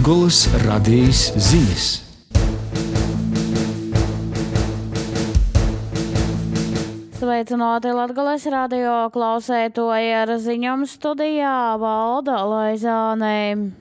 Latgolas radijas ziņas. Sveicināti Latgolas radio klausētoji, ar ziņām studijā Valda Laizāne.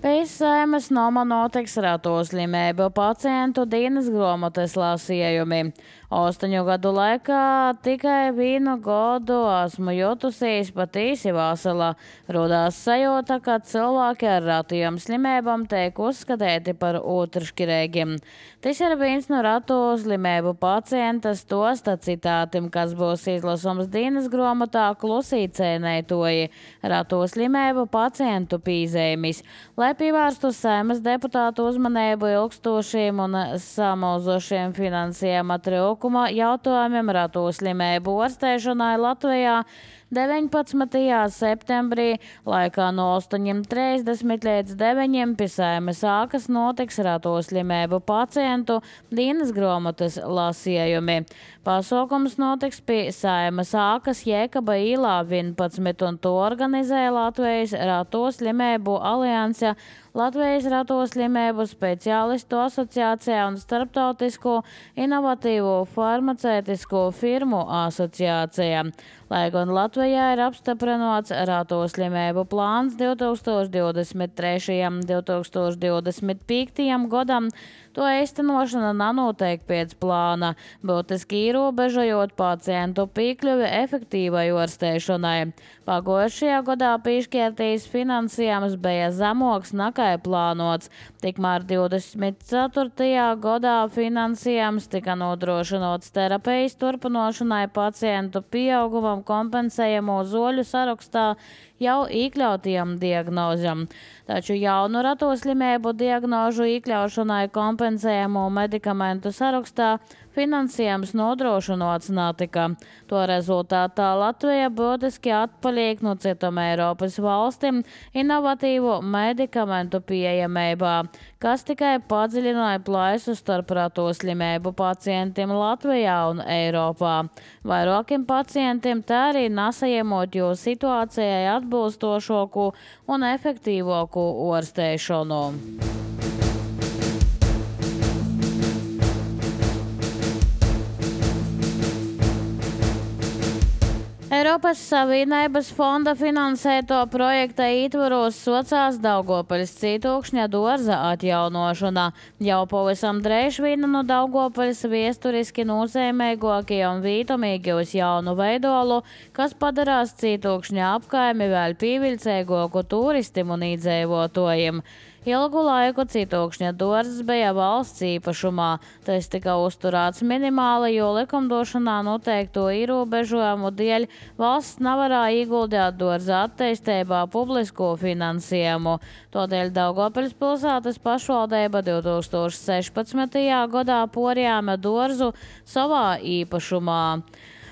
Pēc Saeimas nama notiks ratu slimību pacientu dienas grāmatas lasījumi. 8 gadu laikā tikai 1 gadu esmu jutusies patīsi vesela. Rodās sajūta, ka cilvēki ar ratiem slimībām tiek uzskatīti par otršķirīgiem. Tas ir viens no ratu slimību pacienta stosta citātim, kas būs izlasums dienas grāmatā Klusī cēnētoji ratu slimību pacientu pīzējumis, lai pievērstu Saeimas deputātu uzmanību ilgstošiem un samilzošiem finansējuma trūkuma jautājumiem ratu slimību ārstēšanai Latvijā 19. septembrī laikā no 8:30 līdz 9:00 pie Saeimas ākas notiks ratu slimību pacientu dienas grāmatas lasījumi. Pasākums notiks pie Saeimas ākas Jēkaba īlā 11 un to organizē Latvijas ratu slimību alianse, Latvijas ratu slimību speciālistu asociācijā un Starptautisko inovatīvo farmacētisko firmu asociācijā. Lai gan Latvijā ir apstiprināts ratu slimību plāns 2023. un 2025. gadam, to īstenošana nenotiek pēc plāna, būtiski ierobežojot pacientu piekļuvi efektīvai ārstēšanai. Pagājušajā gadā piešķirtais finansējums bija zemoks nekā plānots, tikmēr 24. gadā finansējums tika nodrošināts terapijas turpināšanai pacientu pieaugumam kompensējamo zoļu sarakstā jau iekļautiem diagnozam. Taču jaunu ratu slimību diagnožu iekļaušanai kompensējamo medikamentu sarakstā finansējums nodrošināts netika. To rezultātā Latvija būtiski atpaliek no citām Eiropas valstīm inovatīvu medikamentu pieejamībā, kas tikai padziļināja plaisu starp ratu slimību pacientiem Latvijā un Eiropā. Vairākiem pacientiem tā arī nesaņemot jo situācijai atbilstošāku un efektīvāku ārstēšanu. Eiropas Savienības fonda finansēto projekta ietvaros socās Daugavpils Cītūkšņa dārza atjaunošana. Jau pavisam drīz viena no Daugavpils viesturiski nozīmīgākie un vītomīgi uz jaunu veidolu, kas padarās Cītūkšņa apkaimi vēl pievilcīgāku turistim un iedzīvotājiem. Ilgu laiku Cītūkšņa dārzs bija valsts īpašumā. Tas tika uzturēts minimāli, jo likumdošanā noteikto ierobežojumu dēļ valsts nevarēja ieguldīt dārza attīstībā publisko finansējumu. Tādēļ Daugavpils pilsētas pašvaldība 2016. gadā porjāma dārzu savā īpašumā.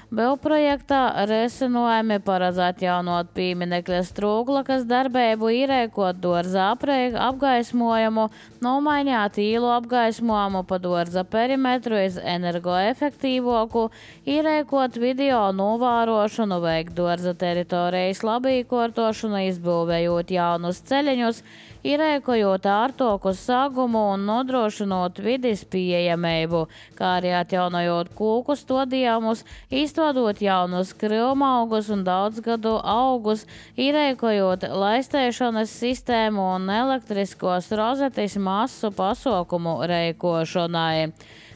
Projektā risinājumi paredz atjaunot pieminekļa Strūglakas darbību, īrēkot dārza apgaismojumu, nomainīt īlu apgaismojumu pa dārza perimetru iz energoefektīvāku, īrēkot video novērošanu, veikt dārza teritorijas labīkortošanu, izbūvējot jaunus ceļiņus, īrēkojot ārtoku sagumu un nodrošinot vides pieejamību, kā arī atjaunojot kūku stādījumus, izstādot jaunus krīvmaugus un daudzgadu augus, īrēkojot laistēšanas sistēmu un elektriskos rozetes masu pasaukumu reikošanai.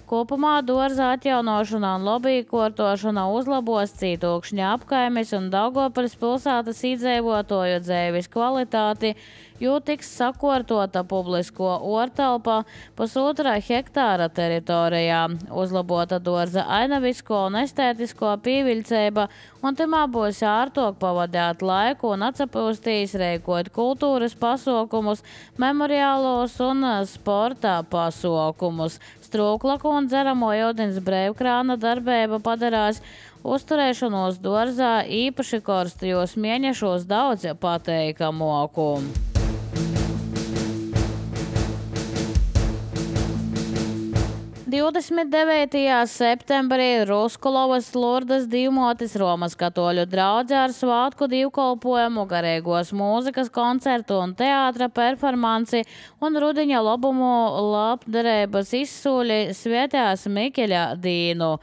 Kopumā dārza atjaunošana un labīkortošana uzlabos Cītūkšņa apkaimes un Daugavpils pilsētas iedzīvotāju dzīves kvalitāti, jo tiks sakārtota publisko ārtelpa 1,5 hektāra teritorijā, uzlabota dārza ainavisko un estētisko pievilcība, un timā būs ārtāk pavadīt laiku un atsapūstīs reikot kultūras pasaukumus, memoriālos un sporta pasaukumus. Strūklaku un dzeramo ūdens brīvkrāna darbība padarās uzturēšanos dārzā īpaši karstajos mēnešos daudz pateikamoku. 29. septembrī Ruskulovas Lurdas Divmotis Romas katoļu draudze ar svātku divkolpojumu, garīgos mūzikas koncertu un teātra performanci un rudiņa lobumu labdarības izsūļi svētās Mikeļa dīnu.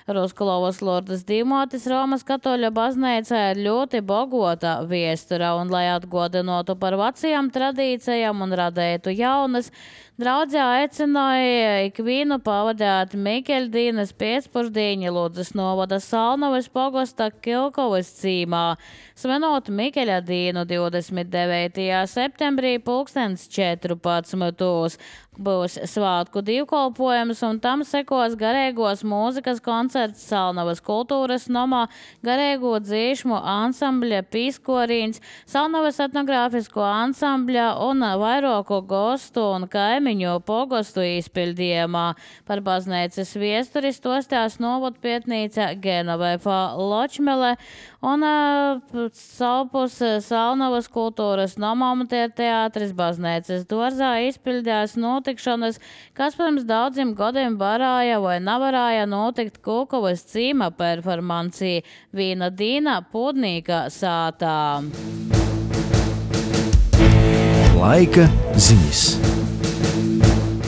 Ruskulovas Lurdas Divmotis Romas katoļu baznīca ir ļoti bogota viestura, un, lai atgodinotu par vecajām tradīcijām un radētu jaunas, draudzē aicināja ikvienu pavadāt Mikeļdīnas pēcpusdiņu Ludzas novada Salnovas pogosta Kilkovas cīmā, svinot Mikeļa dīnu 29. septembrī 14. Būs svātku divkolpojums, un tam sekos garīgos mūzikas koncerts Salnovas kultūras nomā, garīgo dzīšmu ansambļa Pīskorīns, Salnovas etnogrāfisko ansambļa un vairoku gostu un kaimiņu pogostu izpildījumā. Par baznīcas viesturi stostās novadpietnīca Genovefa Ločmele un savpus Salnovas kultūras nomām teātris baznīcas dvorzā izpildījās notikšanas, kas pirms daudziem gadiem varēja vai nevarēja notikt Kulkovas cīma performancī Vīna Dīna Pūdnīka sātā. Laika ziņas.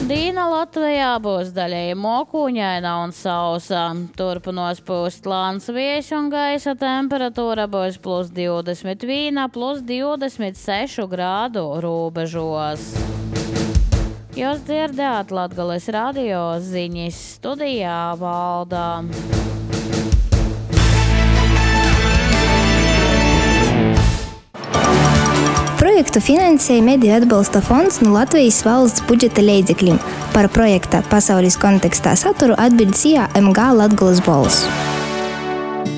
Dīna Latvijā būs daļēji mokūņaina un sausa. Turpinās pūst lāns vējš un gaisa temperatūra būs +21, +26 grādu robežos. Jūs dzirdējāt Latgales radio ziņas, studijā Valdā. Projektu finansēja Mediju atbalsta fonds no Latvijas valsts budžeta līdzekļiem. Par projekta pasaules kontekstā saturu atbild MG Latgales balss.